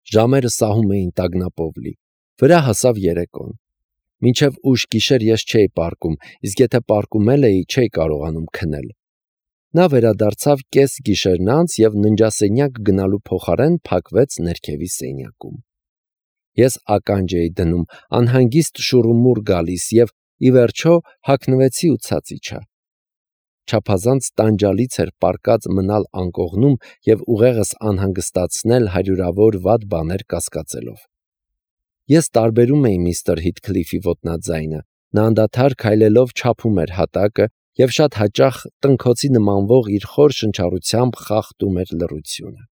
Ժամերը սահում էին տագնապով լի։ Վրա հասավ երեկոն։ Մինչև ուշ գիշեր ես չէի պառկում, իսկ եթե պառկում էլ էի, չէի կարողանում քնել։ Նա վերադարձավ կես գիշերն անց և ննջասենյակ գնալու փոխարեն փակվեց ներքևի սենյակում։ Ես ականջ էի դնում, անհանգիստ շուռումուռ գալիս և ի վերջո հագնվեցի ու ցած իջա։ Չափազանց տանջալից էր պառկած մնալ անկողնում և ուղեղս անհանգստացնել հարյուրավոր վատ բաներ կասկածելով։ Ես տարբերում էի միստր Հիթքլիֆի ոտնաձայնը, նա անդադար քայլելով չափում էր հատակը և շատ հաճախ տնքոցի նմանվող իր խոր շնչառությամբ խախտում էր լռությունը։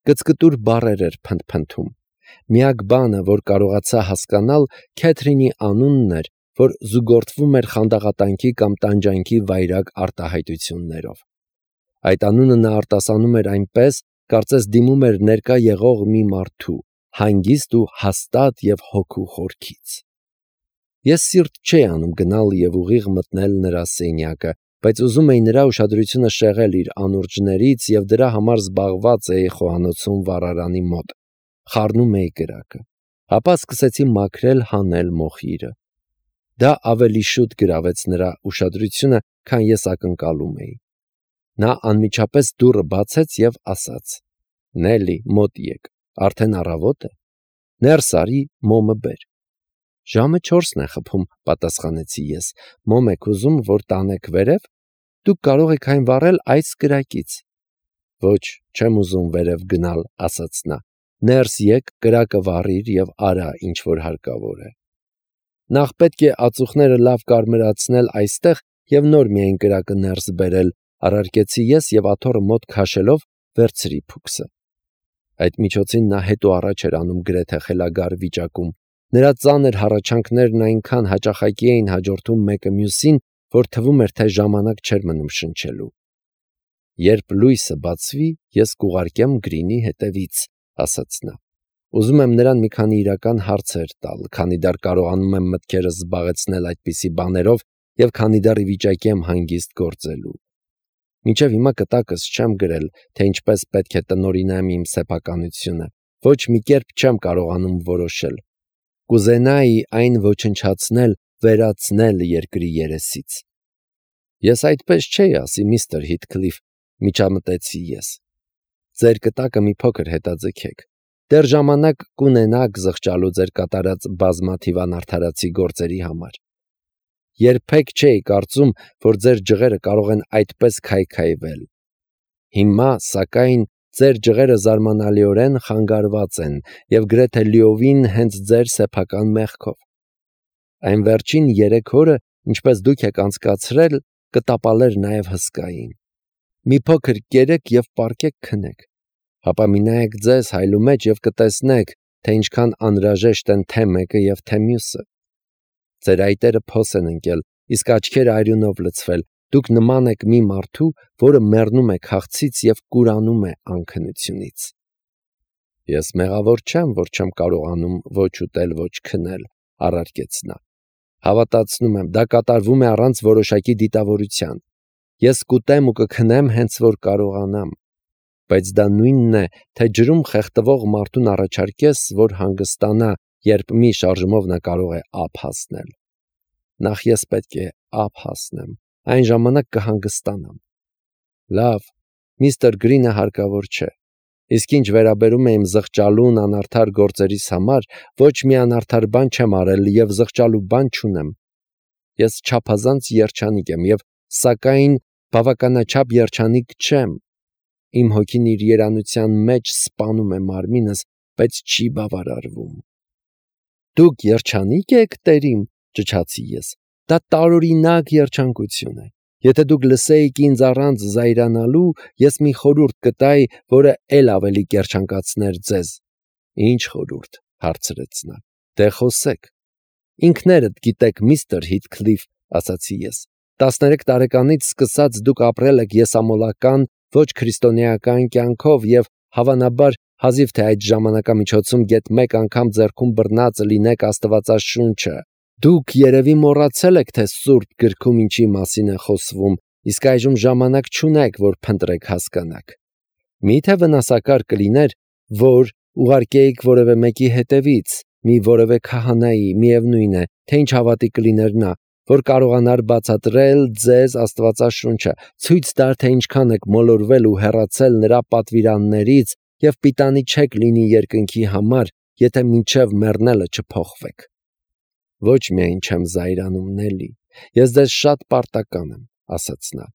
Կծկտուր բառեր էր փնթփնթում։ Միակ բանը, որ կարողացա հասկանալ, Քեթրինի անունն էր, որ զուգորդվում էր խանդաղատանքի կամ տանջանքի վայրագ արտահայտություններով։ Այդ անունը նա արտասանում էր այնպես, կարծես դիմում էր ներկա եղող մի մարդու, հանգիստ ու հաստատ և հոգու խորքից։ Ես սիրտ չէի անում գնալ և ուղիղ մտնել նրա սենյակը, բայց ուզում էի նրա ուշադրությունը շեղել իր անուրջներից և դրա համար զբաղված էի խոհանոցում վառարանի մոտ, խառնում էի կրակը։ Ապա սկսեցի մաքրել, հանել մոխիրը։ Դա ավելի շուտ գրավեց նրա ուշադրությունը, քան ես ակնկալում էի։ Նա անմիջապես դուռը բացեց և ասաց. «Նելի, մոտ եկ, արդեն առավոտ է։ Ներս արի, մոմը բեր»։ «Ժամը 4-ն է խփում», պատասխանեցի ես։ «Մոմ եք ուզում, որ տանեք վերև։ Դուք կարող եք այն վառել այս կրակից»։ «Ոչ, չեմ ուզում վերև գնալ», ասաց նա։ «Ներս եկ, կրակը վառիր և արա, ինչ որ հարկավոր է»։ Նախ պետք է ածուխները լավ կարմրացնել այստեղ և նոր միայն կրակը ներս բերել, առարկեցի ես և աթոռը մոտ քաշելով վերցրի փուքսը։ Այդ միջոցին նա հետ ու առաջ էր անում գրեթե խելագար վիճակում։ Նրա ծանր հառաչանքներն այնքան հաճախակի էին հաջորդում մեկը մյուսին, որ թվում էր, թե ժամանակ չէր մնում շնչելու։ «Երբ լույսը բացվի, ես կուղարկեմ Գրինի հետևից», ասաց նա։ Ուզում եմ նրան մի քանի իրական հարցեր տալ, քանի դեռ կարողանում եմ մտքերս զբաղեցնել այդպիսի բաներով և քանի դեռ ի վիճակի եմ հանգիստ գործելու։ Մինչև հիմա կտակս չեմ գրել, թե ինչպես պետք է տնօրինեմ իմ սեփականությունը, ոչ մի կերպ չեմ կարողանում որոշել։ Կուզենայի այն ոչնչացնել, վերացնել երկրի երեսից։ Ես այդպես չէի ասի, միստր Հիթքլիֆ, միջամտեցի ես։ Ձեր կտակը մի փոքր հետաձգեք։ Դեռ ժամանակ կունենաք զղջալու ձեր կատարած բազմաթիվ անարդարացի գործերի համար։ Երբեք չէի կարծում, որ ձեր ջղերը կարող են այդպես քայքայվել։ Հիմա, սակայն, ձեր ջղերը զարմանալիորեն խանգարված են և գրեթե լիովին հենց ձեր սեփական մեղքով։ Այն վերջին 3 օրը, ինչպես դուք եք անցկացրել, կտապալեր նաև հսկային։ Մի փոքր կերեք և պառկեք քնեք։ Հապա մի նայեք ձեզ հայլու մեջ և կտեսնեք, թե ինչքան անհրաժեշտ են թե մեկը և թե մյուսը։ Ձեր այտերը փոս են ընկել, իսկ աչքերը արյունով լցվել։ Դուք նման եք մի մարդու, որը մեռնում է քաղցից և կուրանում է անքնությունից։ Ես մեղավոր չեմ, որ չեմ կարողանում ոչ ուտել, ոչ քնել, առարկեց նա։ Հավատացնում եմ, դա կատարվում է առանց որոշակի դիտավորության։ Ես կուտեմ ու կքնեմ հենց որ կարողանամ։ Բայց դա նույնն է, թե ջրում խեղդվող մարդուն առաջարկես, որ հանգստանա, երբ մի շարժմով նա կարող է ափ հասնել։ Նախ ես պետք է ափ հասնեմ, այն ժամանակ կհանգստանամ։ Լավ, միստր Գրինը հարկավոր չէ։ Իսկ ինչ վերաբերում է իմ զղջալուն անարդար գործերիս համար, ոչ մի անարդար բան չեմ արել և զղջալու բան չունեմ։ Ես չափազանց երջանիկ եմ և, սակայն, բավականաչափ երջանիկ չեմ։ Իմ հոգին իր երանության մեջ սպանում է մարմինս, բայց չի բավարարվում։ Դուք երջանի՞կ եք, տերիմ, ճչացի ես։ Դա տարօրինակ երջանկություն է։ Եթե դուք լսեիք ինձ առանց զայրանալու, ես մի խորհուրդ կտայի, որը էլ ավելի կերջանկացներ ձեզ։ Ինչ խորհուրդ, հարցրեց նա։ Դե խոսեք։ Ինքներդ գիտեք, միստր Հիթքլիֆ, ասացի ես։ 13 տարեկանից սկսած դուք ապրել եք եսամոլական, ոչ քրիստոնեական կյանքով և, հավանաբար, հազիվ թե այդ ժամանակամիջոցում գեթ մեկ անգամ ձեռքում բռնած լինեք Աստվածաշունչը։ Դուք երևի մոռացել եք, թե Սուրբ գրքում ինչի մասին է խոսվում, իսկ այժմ ժամանակ չունեք, որ փնտրեք հասկանաք։ Մի՞թե վնասակար կլիներ, որ ուղարկեիք որևէ մեկի հետևից, մի որևէ քահանայի, միևնույն է, թե ինչ հավատի կլիներ նա, որ կարողանար բացատրել ձեզ Աստվածաշունչը, ցույց տար, թե ինչքան եք մոլորվել ու հեռացել նրա պատվիրաններից եւ պիտանի չեք լինի երկնքի համար, եթե մինչև մեռնելը չփոխվեք։ Ոչ միայն չեմ զայրանում, Նելի, ես ձեզ շատ պարտական եմ, ասաց նա,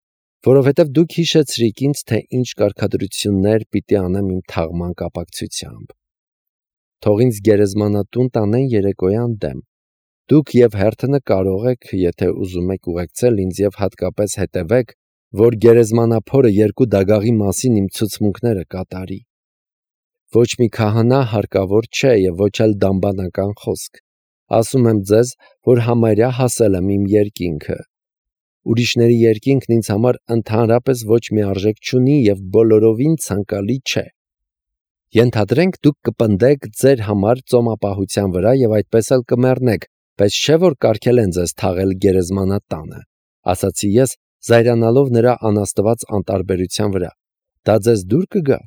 որովհետև դուք հիշեցրիք ինձ, թե ինչ կարգադրություններ պիտի անեմ իմ թաղման կապակցությամբ։ Թող ինձ գերեզմանատուն տանեն երեկոյան դեմ։ Դուք եւ հերթը կարող եք, եթե ուզում եք ուղեկցել ինձ եւ հատկապես հետևեք, որ գերեզմանափորը երկու դագաղի մասին իմ ցուցմունքները կատարի։ Ոչ մի քահանա հարկավոր չէ եւ ոչ էլ դամբանական խոսք։ Ասում եմ ձեզ, որ համարյա հասել եմ իմ երկինքը։ Ուրիշների երկինքն ինձ համար ընդհանրապես ոչ մի արժեք չունի եւ բոլորովին ցանկալի չէ։ Ենթադրենք դուք կպնդեք ձեր համար ծոմապահության վրա եւ այդպես էլ կմեռնեք, բայց չէ որ կարգել են ձեզ թաղել գերեզմանատանը, ասացի ես, զայրանալով նրա անաստված անտարբերության վրա։ Դա ձեզ դուր կգա։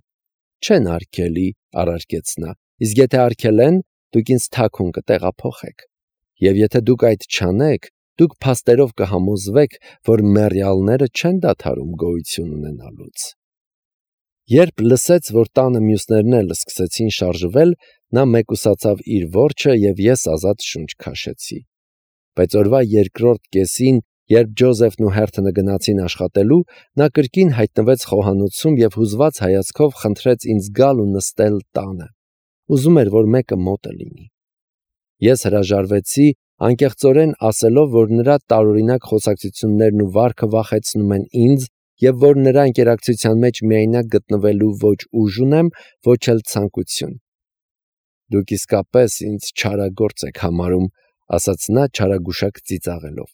Չեն արգելի, առարկեց նա, իսկ եթե արգել են, դուք ինձ թաքուն կտեղափոխեք։ Եվ եթե դուք այդ չանեք, դուք փաստերով կհամոզվեք, որ մեռյալները չեն դադարում գոյություն ունենալուց։ Երբ լսեց, որ տանը մյուսներն էլ սկսեցին շարժվել, նա մեկուսացավ իր որջը եւ ես ազատ շունչ քաշեցի։ Բայց օրվա երկրորդ կեսին, երբ Ջոզեֆն ու Հերթոնը գնացին աշխատելու, նա կրկին հայտնվեց խոհանոցում եւ հուզված հայացքով խնդրեց ինձ գալ ու նստել տանը։ Ուզում էր, որ մեկը մոտը լինի։ Ես հրաժարվեցի, անկեղծորեն ասելով, որ նրա տարօրինակ խոսակցություններն ու վարքը վախեցնում են ինձ եւ որ նրա ինտերակցիան մեջ միայնակ գտնվելու ոչ ուժ ունեմ, ոչ էլ ցանկություն։ Դուք իսկապես ինձ չարագործ եք համարում, ասաց նա չարագուշակ ծիծաղելով։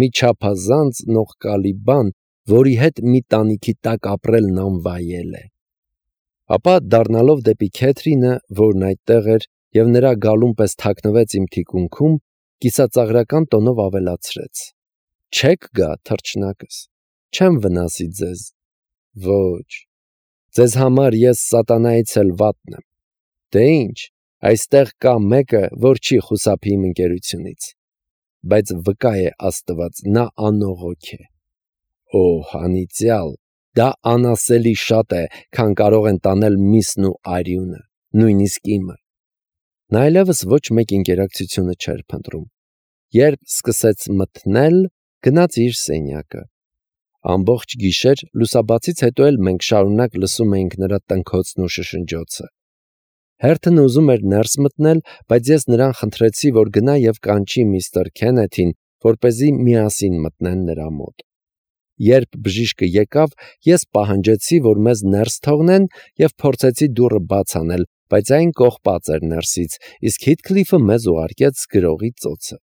Մի չափազանց նողկալի բան, որի հետ մի տանիքի տակ ապրելն անվայել է։ Ապա դառնալով դեպի Քեթրինը, որն այդտեղ էր եւ նրա գալուն պես թաքնվեց իմ թիկունքում, կիսածաղրական տոնով ավելացրեց. Չեք գա, թռչնակս, չեմ վնասի ձեզ։ Ոչ, ձեզ համար ես սատանայից էլ վատն եմ։ Դե ինչ, այստեղ կա մեկը, որ չի խուսափի իմ ընկերությունից, բայց վկա է Աստված, նա անողոք է։ Օ, անիծյալ, դա անասելի շատ է, քան կարող են տանել միսն ու արյունը, նույնիսկ իմը։ Նա այլևս ոչ մեկ ինտերակցիոնը չէր փնտրում։ Երբ սկսեց մթնել, գնաց իր սենյակը։ Ամբողջ գիշեր լուսաբացից հետո էլ մենք շարունակ լսում էինք նրա տնքոցն ու շշնջոցը։ Հերթն ուզում էր ներս մտնել, բայց ես նրան խնդրեցի, որ գնա եւ կանչի միստր Քենեթին, որպեսզի միասին մտնեն նրա մոտ։ Երբ բժիշկը եկավ, ես պահանջեցի, որ մեզ ներս թողնեն եւ փորձեցի դուռը բաց անել, բայց այն կողպած էր ներսից, իսկ Հիթքլիֆը մեզ ուղարկեց գրողի ծոցը։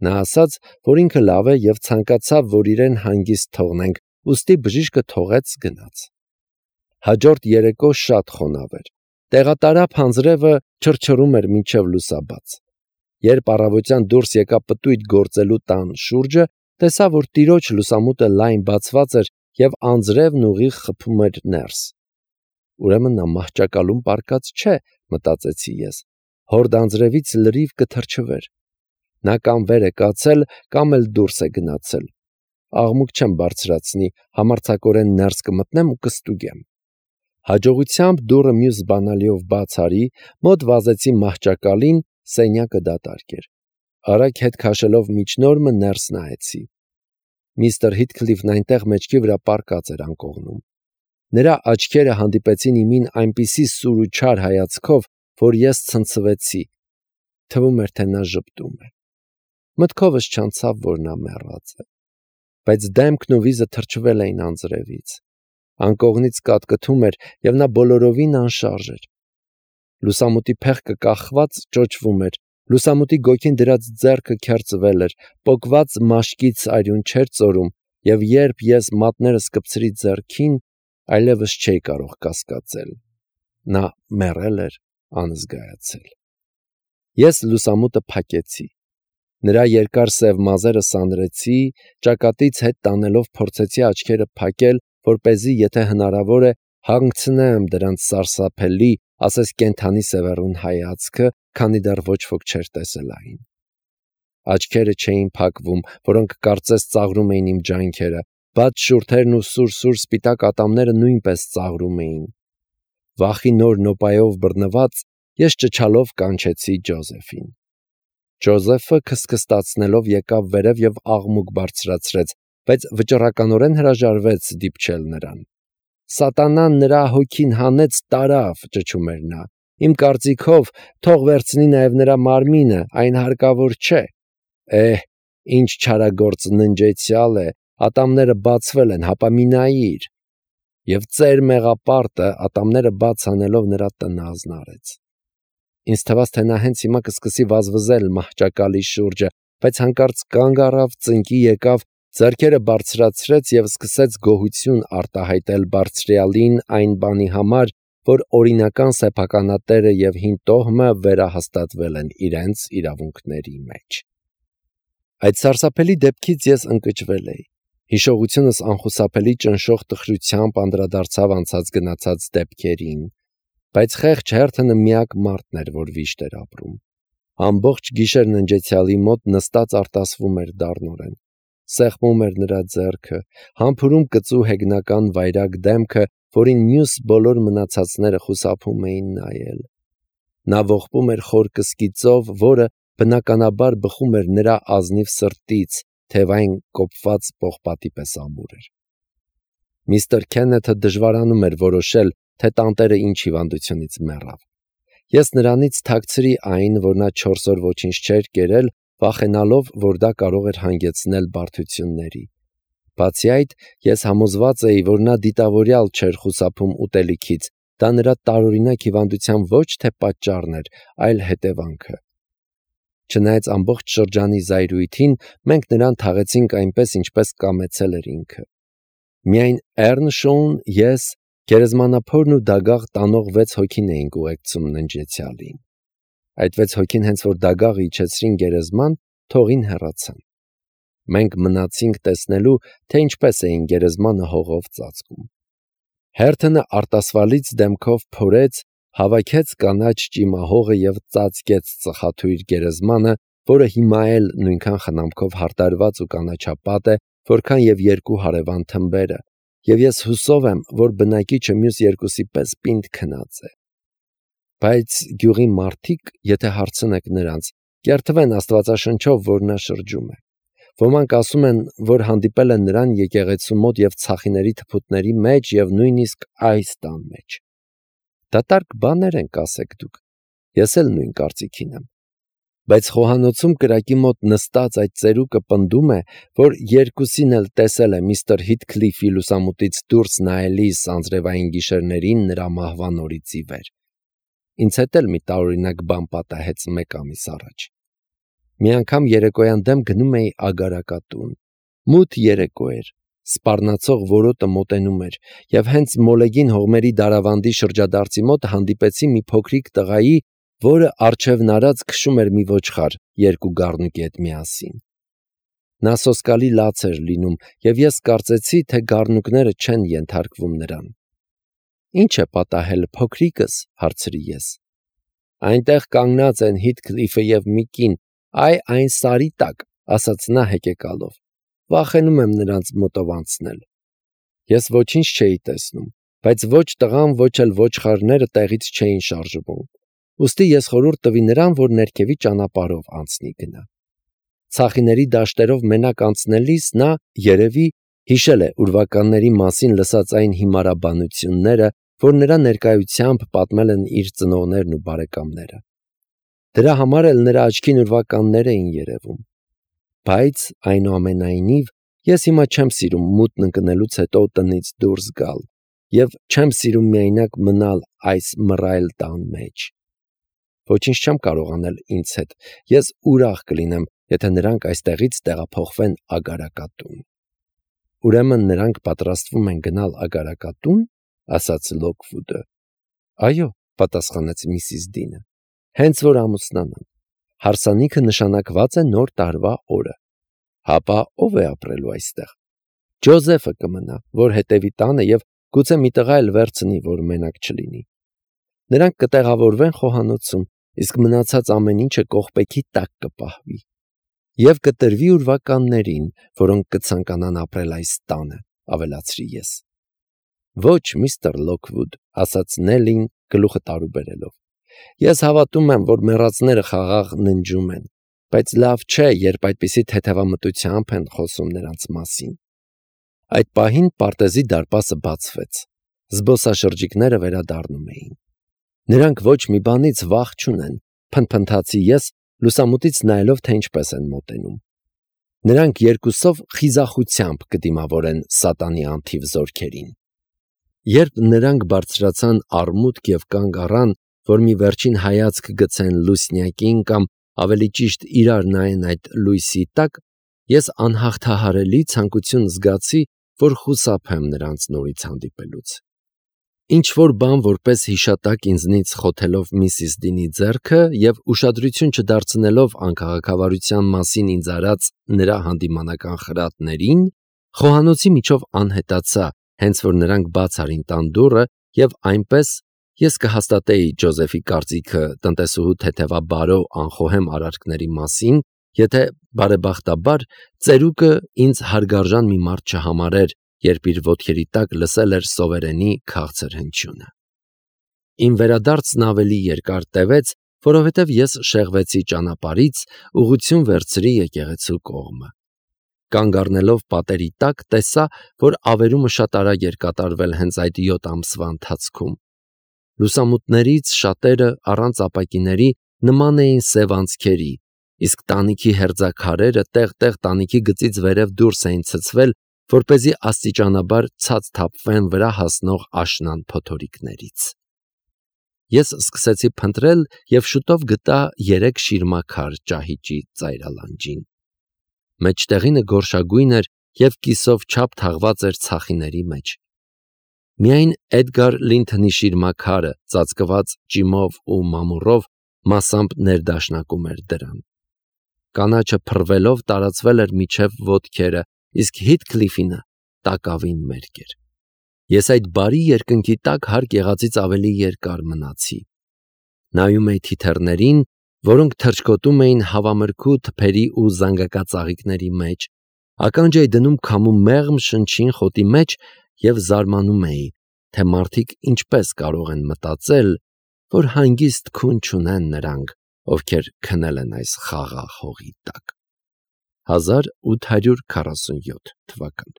Նա ասաց, որ ինքը լավ է եւ ցանկացավ, որ իրեն հանգիստ թողնենք, ուստի բժիշկը թողեց գնաց։ Հաջորդ երեկո շատ խոնավ էր։ Տեղատարափ հանձրևը չրչռում էր մինչև լուսաբաց։ Երբ առավոտյան դուրս եկա պտույտ գործելու տան շուրջը, տեսա, որ տիրոջ լուսամուտը լայն բացված էր եւ անձրևն ուղիղ խփում էր ներս։ Ուրեմն նա մահճակալում պարկած չէ, մտածեցի ես։ Հորդ անձրևից լրիվ կթրջվեր։ Նա կամ վեր է կացել, կամ էլ դուրս է գնացել։ Աղմուկ չեմ բարձրացնի, համարձակորեն ներս կմտնեմ ու կստուգեմ։ Հաջողությամբ դուռը մյուս բանալիով բաց արի, մոտ վազեցի մահճակալին, սենյակը դատարկ էր։ Արագ հետ քաշելով միջնորմը ներս նայեցի։ Միստր Հիթքլիֆն այնտեղ մեջքի վրա պառկած էր անկողնում։ Նրա աչքերը հանդիպեցին իմին այնպիսի սուր ու չար հայացքով, որ ես ցնցվեցի։ Թվում էր, թե նա ժպտում է։ Մտքովս չանցավ, որ նա մեռած է, բայց դեմքն ու վիզը թրջվել էին անձրևից։ Անկողնից կատկթում էր եւ նա բոլորովին անշարժ էր։ Լուսամուտի փեղկը կախված ճոճվում էր, լուսամուտի գոգին դրած ձեռքը քերծվել էր, պոկված մաշկից արյուն չէր ծորում, եւ երբ ես մատներս կպցրի ձեռքին, այլևս չէի կարող կասկածել։ Նա մեռել էր անզգայացել։ Ես լուսամուտը փակեցի։ Նրա երկար սև մազերը սանրեցի, ճակատից հետ տանելով փորձեցի աչքերը փակել, որպեսզի, եթե հնարավոր է, հանգցնեմ դրանց սարսափելի, ասես կենթանի սևեռուն հայացքը, քանի դեռ ոչ ոք չէր տեսել այն։ Աչքերը չէին փակվում, որոնք կարծես ծաղրում էին իմ ջանքերը, բաց շուրթերն ու սուր սպիտակ ատամները նույնպես ծաղրում էին։ Վախի նոր նոպայով բռնված, ես ճչալով կանչեցի Ջոզեֆին։ Ջոզեֆը քսքստացնելով եկավ վերև եւ աղմուկ բարձրացրեց, բայց վճռականորեն հրաժարվեց դիպչել նրան։ Սատանան նրա հոգին հանեց տարավ, ճչում էր նա։ Իմ կարծիքով թող վերցնի նաև նրա մարմինը, այն հարկավոր չէ։ Ինչ չարագործ ննջեցյալ է, ատամները բացվել են, հապա մի նայիր։ Եվ ծեր մեղապարտը ատամները բաց անելով նրա տնը ազնարեց։ Ինձ թվաց, թե նա հենց հիմա կսկսի վազվզել մահճակալի շուրջը, բայց հանկարծ կանգ առավ, ծնկի եկավ, ձեռքերը բարձրացրեց եւ սկսեց գոհություն արտահայտել բարձրյալին այն բանի համար, որ օրինական սեփականատերը եւ հին տոհմը վերահաստատվել են իրենց իրավունքների մեջ։ Այդ սարսափելի դեպքից ես ընկճվել էի։ Հիշողությունս անխուսափելի ճնշող տխրությամբ անդրադարձավ անցած գնացած դեպքերին, բայց խեղճ հերթը միակ մարդն էր, որ վիշտ էր ապրում։ Ամբողջ գիշեր ննջեցյալի մոտ նստած արտասվում էր դառնորեն։ Սեղմում էր նրա ձեռքը, համբուրում կծու հեգնական վայրագ դեմքը, որին մյուս բոլոր մնացածները խուսափում էին նայել։ Նա ողբում էր խոր կսկիծով, որը բնականաբար բխում էր նրա ազնիվ սրտից, թեև այն կոփված պողպատի պես ամուր էր։ Միստր Քեննեթը դժվարանում էր որոշել, թե տանտերը ինչ հիվանդությունից մեռավ։ Ես նրանից թաքցրի այն, որ նա 4 օր ոչինչ չէր կերել, վախենալով, որ դա կարող էր հանգեցնել բարդությունների։ Բացի այդ, ես համոզված էի, որ նա դիտավորյալ չէր խուսափում ուտելիքից, դա նրա տարօրինակ հիվանդության ոչ թե պատճառն էր, այլ հետևանքը։ Չնայած ամբողջ շրջանի զայրույթին, մենք նրան թաղեցինք այնպես, ինչպես կամեցել էր ինքը։ Միայն Էռնշոուն, ես, գերեզմանափորն ու դագաղ տանող 6 հոգին էինք ուղեկցում ննջեցյալին։ Այդ 6 հոգին հենց որ դագաղը իջեցրին գերեզման, թողին հեռացան։ Մենք մնացինք տեսնելու, թե ինչպես էին գերեզմանը հողով ծածկում։ Հերթոնը արտասվալից դեմքով փորեց, հավաքեց կանաչ ճիմահողը եւ ծածկեց ծխաթույր գերեզմանը, որը հիմա էլ նույնքան խնամքով հարդարված ու կանաչապատ է, որքան եւ 2 հարևան թմբերը, եւ ես հուսով եմ, որ բնակիչը մյուս երկուսի պես պինդ քնած է։ Բայց գյուղի մարդիկ, եթե հարցնեք նրանց, կերթվեն Աստվածաշնչով, որ նա շրջում է։ Ոմանք ասում են, որ հանդիպել են նրան եկեղեցու մոտ եւ ցախիների թփուտների մեջ եւ նույնիսկ այս տան մեջ։ Դատարկ բաներ են կասեք դուք։ Ես էլ նույն կարծիքին եմ։ Բայց խոհանոցում կրակի մոտ նստած այդ ծերուկը պնդում է, որ երկուսին էլ տեսել է միստր Հիթքլիֆի լուսամուտից դուրս նայելիս անձրևային գիշերներին նրա մահվան օրից ի վեր։ Ինձ հետ էլ մի տարօրինակ բան պատահեց 1 ամիս առաջ։ Մի անգամ երեկոյան դեմ գնում էի ագարակատուն։ Մութ երեկո էր, սպառնացող որոտը մոտենում էր, եւ հենց մոլեգին հողմերի դարավանդի շրջադարձի մոտ հանդիպեցի մի փոքրիկ տղայի, որը առջևն արած քշում էր մի ոչխար 2 գառնուկի հետ միասին։ Նա սոսկալի լաց էր լինում, եւ ես կարծեցի, թե գառնուկները չեն ենթարկվում նրան։ Ինչ է պատահել, փոքրիկս, հարցրի ես։ Այնտեղ կանգնած են Հիթքլիֆը եւ մի կին, այն սարի տակ, ասաց նա հեկեկալով։ Վախենում եմ նրանց մոտով անցնել։ Ես ոչինչ չէի տեսնում, բայց ոչ տղան, ոչ էլ ոչխարները տեղից չէին շարժվում։ Ուստի ես խորհուրդ տվի նրան, որ ներքևի ճանապարհով անցնի գնա։ Ցախիների դաշտերով մենակ անցնելիս նա երևի հիշել է ուրվականների մասին լսած այն հիմարաբանությունները, որ նրա ներկայությամբ պատմել են իր ծնողներն ու բարեկամները։ Դրա համար էլ նրա աչքին ուրվականներ էին երևում։ Բայց այնուամենայնիվ ես հիմա չեմ սիրում մութն ընկնելուց հետո տնից դուրս գալ եւ չեմ սիրում միայնակ մնալ այս մռայլ տան մեջ։ Ոչինչ չեմ կարող անել ինձ հետ։ Ես ուրախ կլինեմ, եթե նրանք այստեղից տեղափոխվեն ագարակատուն։ Ուրեմն նրանք պատրաստվում են գնալ ագարակատուն, ասաց Լոքվուդը։ Այո, պատասխանեց միսիս Դինը։ Հենց որ ամուսնանան։ Հարսանիքը նշանակված է նոր տարվա օրը։ Հապա ով է ապրելու այստեղ։ Ջոզեֆը կմնա, որ հետևի տանը եւ գուցե մի տղա էլ վերցնի, որ մենակ չլինի։ նրանք կտեղավորվեն խոհանոցում, իսկ մնացած ամեն ինչը կողպեքի տակ կպահվի։ Եվ կտրվի ուրվականներին, որոնք կցանկանան ապրել այս տանը, ավելացրի ես։ Ոչ, միստր Լոքվուդ, ասաց Նելին գլուխը տարուբերելով։ Ես հավատում եմ, որ մեռածները խաղաղ ննջում են, բայց լավ չէ, երբ այդպիսի թեթևամտությամբ են խոսում նրանց մասին։ Այդ պահին պարտեզի դարպասը բացվեց։ Զբոսաշրջիկները վերադառնում էին։ Նրանք ոչ մի բանից վախ չունեն, փնփնթացի ես, լուսամուտից նայելով, թե ինչպես են մոտենում։ Նրանք երկուսով խիզախությամբ կդիմավորեն սատանի անթիվ զորքերին։ Երբ նրանք բարձրացան արմուտք և կանգ առան, որ մի վերջին հայացք գցեն լուսնյակին կամ ավելի ճիշտ իրար նայեն այդ լույսի տակ, ես անհաղթահարելի ցանկություն զգացի, որ խուսափեմ նրանց նորից հանդիպելուց։ Ինչ-որ բան որպես հիշատակ ինձնից խոթելով Միսիս Դինի ձեռքը և ուշադրություն չդարձնելով անքաղաքավարության մասին ինձ արած նրա հանդիմանական խրատներին, խոհանոցի միջով անհետացա, հենց որ նրանք բաց արին տան դուռը, և այնպես ես կհաստատեի Ջոզեֆի կարծիքը տնտեսուհու թեթևաբարո անխոհեմ արարքների մասին, եթե բարեբախտաբար ծերուկը ինձ հարգարժան մի մարդ չհամարեր, երբ իր ոտքերի տակ լսել էր սովերենի քաղցր հնչյունը։ Իմ վերադարձն ավելի երկար տևեց, որովհետև ես շեղվեցի ճանապարհից, ուղղություն վերցրի եկեղեցու կողմը։ Կանգ առնելով պատերի տակ, տեսա, որ ավերումը շատ արագ էր կատարվել հենց այդ 7 ամսվա ընթացքում։ Լուսամուտներից շատերը առանց ապակիների նման էին սև անցքերի, իսկ տանիքի հերձաքարերը տեղ-տեղ տանիքի գծից վերև դուրս էին ցցվել, որպեսզի աստիճանաբար ցած թափվեն վրա հասնող աշնան փոթորիկներից։ Ես սկսեցի փնտրել և շուտով գտա 3 շիրմաքար ճահիճի ծայրալանջին։ Մեջտեղինը գորշագույն էր և կիսով չափ թաղված էր ցախիների մեջ։ Միայն Էդգար Լինթոնի շիրմաքարը, ծածկված ճիմով ու մամուռով, մասամբ ներդաշնակում էր դրան։ Կանաչը փռվելով տարածվել էր մինչև ոտքերը, իսկ Հիթքլիֆինը տակավին մերկ էր։ Ես այդ բարի երկնքի տակ հարկ եղածից ավելի երկար մնացի։ Նայում էի թիթեռներին, որոնք թռչկոտում էին հավամրգու թփերի ու զանգակածաղիկների մեջ, ականջ էի դնում քամու մեղմ շնչին խոտի մեջ և զարմանում էի, թե մարդիկ ինչպես կարող են մտածել, որ հանգիստ քուն չունեն նրանք, ովքեր քնել են այս խաղաղ հողի տակ։ 1847 թվական։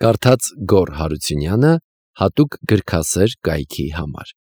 Կարդաց Գոռ Հարությունյանը հատուկ գրքասեր կայքի համար։